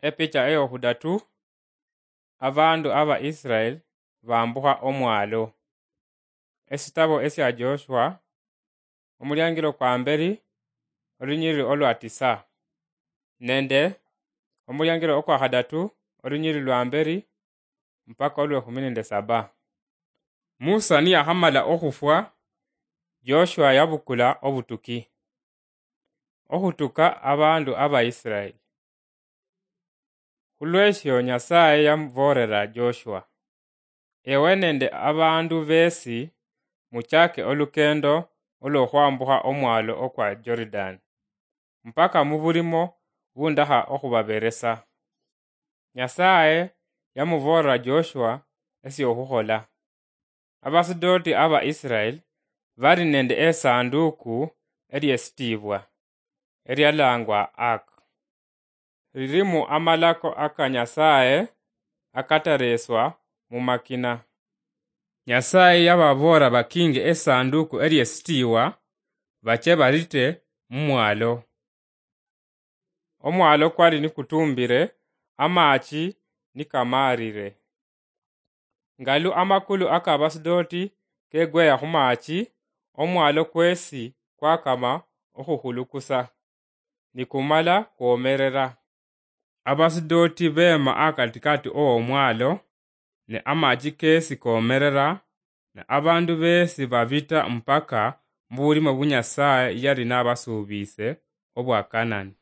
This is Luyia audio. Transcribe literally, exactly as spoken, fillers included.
Epicha eyokhudatu, abandu aba Israel bambukha omwalo. Esitabo esia Joshua, omuliangilo kwa mberi, olunyiriri olwa tisa, nende omuliangilo okwa khadatu, olunyiriri lwa mberi mpaka olwe khumi nende saba. Musa niyakhamala okhufwa, Joshua yabukula obutuki, okhutuka abandu aba Israel. Khulweshio Nyasaye yamuboolera Joshua, "Ewe nende abandu besi muchake olukendo olwokhwambukha omwalo okwa Jordan, mpaka mubulimo bundakha okhubaberesa." Nyasaye yamuboolera Joshua esiokhukhola. Abasidoti aba Israel bali nende esanduku eliesitiibwa, elialangwa Ark. Lilimu amalako aka Nyasaye akatareswa mumakina. Nyasaye yababoolera bakinge esanduku eliesitiiwa, bache balite mumwalo. Omwalo kwali nikutumbire, amachi nikamaarire. Ngalu amakulu aka Abasidoti kegweya khumachi, omwalo kwesi kwakama okhukhulukusa, nikumala kwomerera. Abasidoti beema akatikati owomwalo, ne amachi kesi komerera, ne abandu besi babita mpaka mubulimo bu Nyasaye yali nabasuubise obwa Kanani.